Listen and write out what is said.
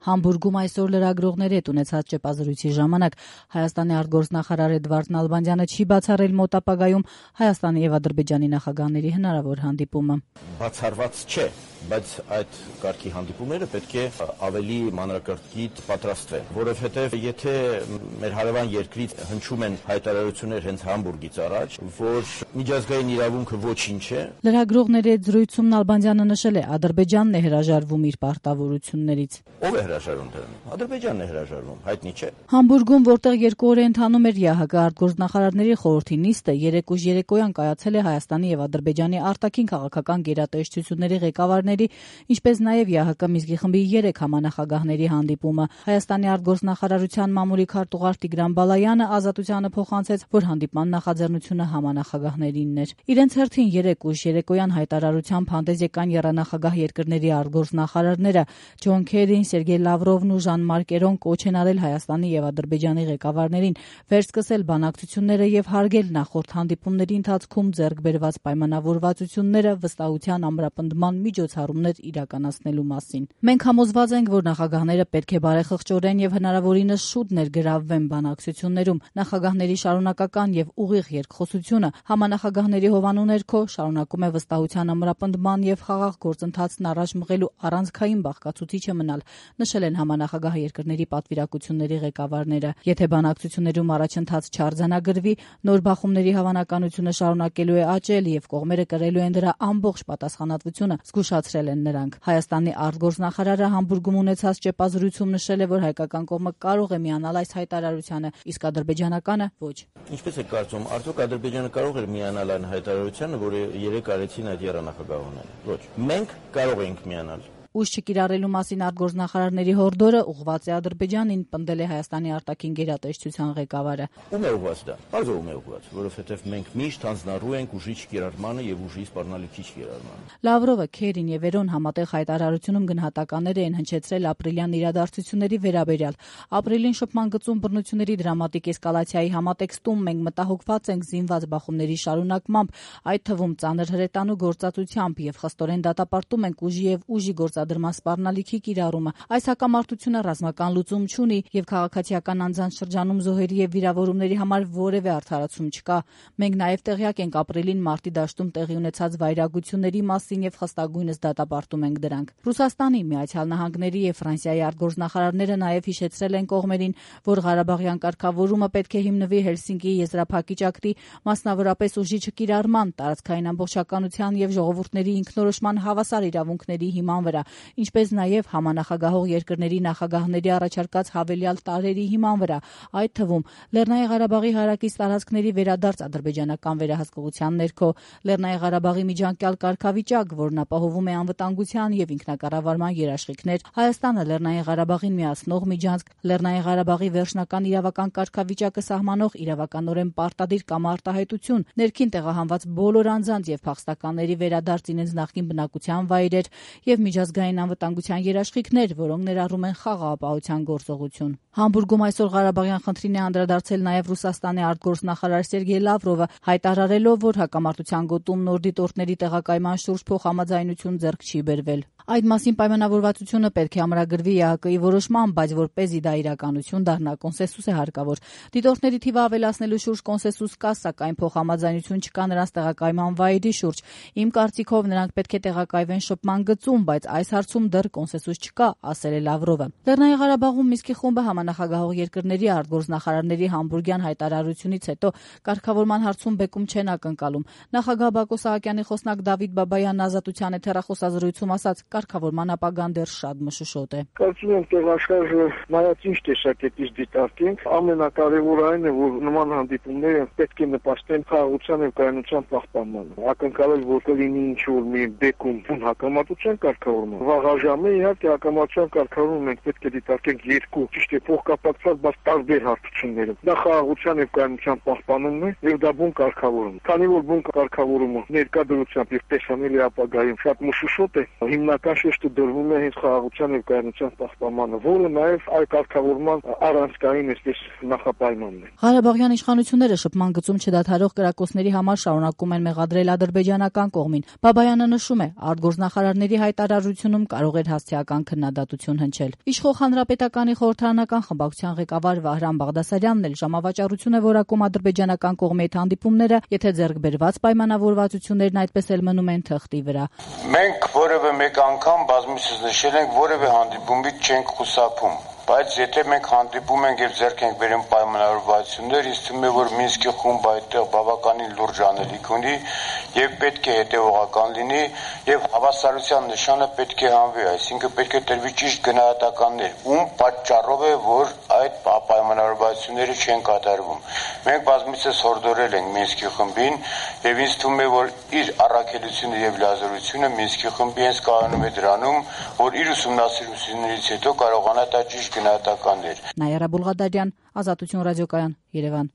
Համբուրգում այսօր լրագրողների հետ ունեցած ճեպազրույցի ժամանակ Հայաստանի արտգործնախարար Էդվարդ Նալբանդյանը չի բացառել մոտ ապագայում Հայաստանի եւ Ադրբեջանի նախագահների հնարավոր հանդիպումը։ Բացառված չէ, բայց այդ կարգի հանդիպումները պետք է ավելի մանրակրկիտ պատրաստվեն, որովհետև եթե մեր հարևան երկրից հնչում են հայտարարություններ հենց Համբուրգից առաջ, որ միջազգային իրավունքը ոչինչ է։ Լրագրողների հետ զրույցում Նալբանդյանը նշել է, Ադրբեջանն է հրաժարվում իր պարտավորություններից։ Ով է հրաժարվում դրանից? Ադրբեջանն է հրաժարվում, հայտնի չէ։ Համբուրգում, որտեղ 2 օր է ընթանում էր ՀՀԿ արտգործնախարարների խորհրդի նիստը, 3 ուժ երեկոյան կայացել է Հայաստանի եւ Ադրբեջանի արտաքին քաղաքական գերատեսչությունների ղեկավարների, ինչպես նաեւ ՀՀԿ Մինսկի խմբի 3 համանախագահների հանդիպումը։ Հայաստանի արտգործնախարարության մամուլի քարտուղար Տիգրան Բալայանը Ազատությանը փոխանցեց, որ հանդիպման նախաձեռնությունը համանախագահներինն էր։ Իրենց հերթին 3 ուժ երեկոյան հայտարարությամբ հանդես եկան եռանախագահ երկրների արտգործնախարարները Ջոն Քերին, Սերգեյ Լավրովն ու Ժան-Մարկ Էրոն կոչ են արել Հայաստանի եւ Ադրբեջանի ղեկավարներին վերսկսել բանակցությունները եւ հարգել նախորդ հանդիպումների ընթացքում ձեռք բերված պայմանավորվածությունները վստահության ամրապնդման միջոցառումներ իրականացնելու մասին։ Մենք համոզված ենք, որ նախագահները պետք է բարեխղճորեն եւ հնարավորինս շուտ ներգրավվեն բանակցություններում։ Նախագահների շարունակական եւ ուղիղ երկխոսությունը համանախագահների հովանու ներքո շարունակում է վստահության ամրապնդման եւ խաղաղ գործընթացն առաջ մղելու առանցքային բաղկացուցիչը մնալ, նշել են համանախագահ երկրների պատվիրակությունների ղեկավարները։ Եթե բանակցություններում առաջընթաց չարձանագրվի, նոր բախումների հավանականությունը շարունակելու է աճել եւ կողմերը կրելու են դրա ամբողջ պատասխանատվությունը, զգուշացրել են նրանք։ Հայաստանի արտգործնախարարը Համբուրգում ունեցած ճեպազրույցում նշել է, որ հայկական կողմը կարող է միանալ այս հայտարարությանը, իսկ ադրբեջանականը ոչ։ Ինչպես է կարծում, արդյոք Ադրբեջանը կարող էր միանալ այն հայտարարությանը, որը 3 արեցին այդ եռանախագահողները։ Ոչ։ Մենք կարող ենք միանալ։ Ուժ չկիրառելու մասին արտգործնախարարների հորդորը ուղղված է Ադրբեջանին, պնդել է Հայաստանի արտաքին գերատեսչության ղեկավարը։ Ում է ուղղված դա? Բարձր ում է ուղղված, որովհետև մենք միշտ հանձնառու ենք ուժի չկիրառմանը եւ ուժի սպառնալիքի չկիրառմանը։ Լավրովը, Քերին եւ Էրոն համատեղ հայտարարությունում գնահատականներ են հնչեցրել ապրիլյան իրադարձությունների վերաբերյալ։ Ապրիլին շփման գծում բռնությունների դրամատիկ էսկալացիայի համատեքստում մենք մտահոգված ենք զինված բախումների շարունակմամբ, այդ թվում ծանր հրետանու գործածությամբ եւ խստորեն դատապարտում ենք ուժի եւ ուժի գործադրման սպառնալիքի կիրառումը։ Այս հակամարտությունը ռազմական լուծում չունի եւ քաղաքացիական անձանց շրջանում զոհերի եւ վիրավորումների համար որևէ արդարացում չկա։ Մենք նաեւ տեղյակ ենք ապրիլին մարտի դաշտում տեղի ունեցած վայրագությունների մասին եւ խստագույնս դատապարտում ենք դրանք։ Ռուսաստանի, Միացյալ Նահանգների եւ Ֆրանսիայի արտգործնախարարները նաեւ հիշեցրել են կողմերին, որ Ղարաբաղյան կարգավորումը պետք է հիմնվի Հելսինկիի եզրափակիչ ակտի, մասնավորապես ուժի չկիրառման, տարածքային ամբողջականության եւ ժողովուրդների ինքնորոշման հավասար իրավունքների հիման վրա, ինչպես նաեւ համանախագահող երկրների նախագահների առաջարկած հավելյալ տարրերի հիման վրա, այդ թվում Լեռնային Ղարաբաղի հարակից տարածքների վերադարձ ադրբեջանական վերահսկողության ներքո, Լեռնային Ղարաբաղի միջանկյալ կարգավիճակ, որն ապահովում է անվտանգության եւ ինքնակառավարման երաշխիքներ, Հայաստանը Լեռնային Ղարաբաղին միացնող միջանցք, Լեռնային Ղարաբաղի վերջնական իրավական կարգավիճակը սահմանող իրավականորեն պարտադիր կամ արտահայտություն, ներքին տեղահանված բոլոր անձանց եւ փախստականների վերադարձ իրենց նախկին բնակության վայրեր եւ միջազգային անվտանգության երաշխիքներ, որոնք ներառում են խաղաղապահության գործողություն։ Համբուրգում այսօր Ղարաբաղյան խնդրին է անդրադարձել նաեւ Ռուսաստանի արտգործնախարար Սերգեյ Լավրովը, հայտարարելով, որ հակամարտության գոտում նոր դիտորդների տեղակայման շուրջ փոխհամաձայնություն ձեռք չի բերվել։ Այդ մասին պայմանավորվածությունը պետք է ամրագրվի ՀՀԿ-ի որոշմամբ, բայց որպեսզի դա իրականություն դառնա, կոնսենսուս է հարկավոր։ Դիտորդների թիվը ավելացնելու շուրջ կոնսենսուս կա, սակայն փոխհամաձայնություն չկա նրանց տեղակայման վայրի շուրջ։ Իմ կարծիքով նրանք պետք է տեղակայվեն շփման գծում, բայց այս հարցում դեռ կոնսենսուս չկա, ասել է Լավրովը։ Լեռնային Ղարաբաղում Մինսկի խումբը համանախագահող երկրների արտգործնախարարների Համբուրգյան հայտարարությունից հետո կարգավորման հարցում բեկում չեն ակնկալում։ Նախագահ Բակո Սահակյանի խոսնակ Դավիթ Բաբայանն Ազատության հեռախոսազրույցում ասաց, կարգավորման ապագան դեռ շատ մշուշոտ է։ Կարծում եմ, որ աշխարհը նայած ինչ տեսակետից դիտարկենք, ամենակարևորը այն է, որ նման հանդիպումները պետք է նպաստեն խաղաղության եւ կայունության պահպանմանը։ Ակնկալել, որ կլինի ինչ-որ մի բեկում հակամարտության կարգավորումը։ Վաղաժամը իհարկե հակամարտության կարգավորումը մենք պետք է դիտարկենք երկու, ճիշտ է, փոխկապակցված, բայց տարբեր հարթություններով։ Դա խաղաղության եւ կայունության պահպանումն է եւ դա բուն կարգավորում։ Քանի որ բուն կարգավորումը ներկա դրությամբ եւ տեսանելի ապագայում շատ մշուշոտ է, հիմնական շեշտը դրվում է հենց խաղաղության եւ կայունության պահպանմանը, որը նաեւ այլ կարգավորման առանցքային էսպես նախապայմանն է։ Ղարաբաղյան իշխանությունները շփման գծում չդադարող կրակոցների համար շարունակում են մեղադրել ադրբեջանական կողմին։ Բաբայանը նշում է, արտգործնախարարների հայտարարությունը հարաբերությունում կարող էր հասցեական քննադատություն հնչել։ Իշխող Հանրապետականի խորհրդարանական խմբակցության ղեկավար Վահրամ Բաղդասարյանն էլ ժամավաճառություն է որակում ադրբեջանական կողմի այդ հանդիպումները, եթե ձեռք բերված պայմանավորվածություններն այդպես էլ մնում են թղթի վրա։ Մենք որևէ մեկ անգամ բազմիցս նշել ենք, որևէ հանդիպումից չենք խուսափում, բայց եթե մենք հանդիպում ենք եւ ձեռք ենք բերում պայմանավորվածություններ, ինձ թվում է, որ Մինսկի խումբը այդտեղ բավականին լուրջ անելիք ունի եւ պետք է հետեւողական լինի եւ հավասարության նշանը պետք է հանվի, այսինքն պետք է տրվի ճիշտ գնահատականներ, ում պատճառով է, որ այդ պայմանավորվածությունները չեն կատարվում։ Մենք բազմիցս հորդորել ենք Մինսկի խմբին եւ ինձ թվում է, որ իր առաքելությունը եւ լիազորությունը Մինսկի խմբի հենց կայանում է դրանում, որ իր ուսումնասիրություններից հետո կարողանա տա ճիշտ գնահատականներ։ Նայարա Բուլղադարյան, Ազատություն ռադիոկայան, Երևան։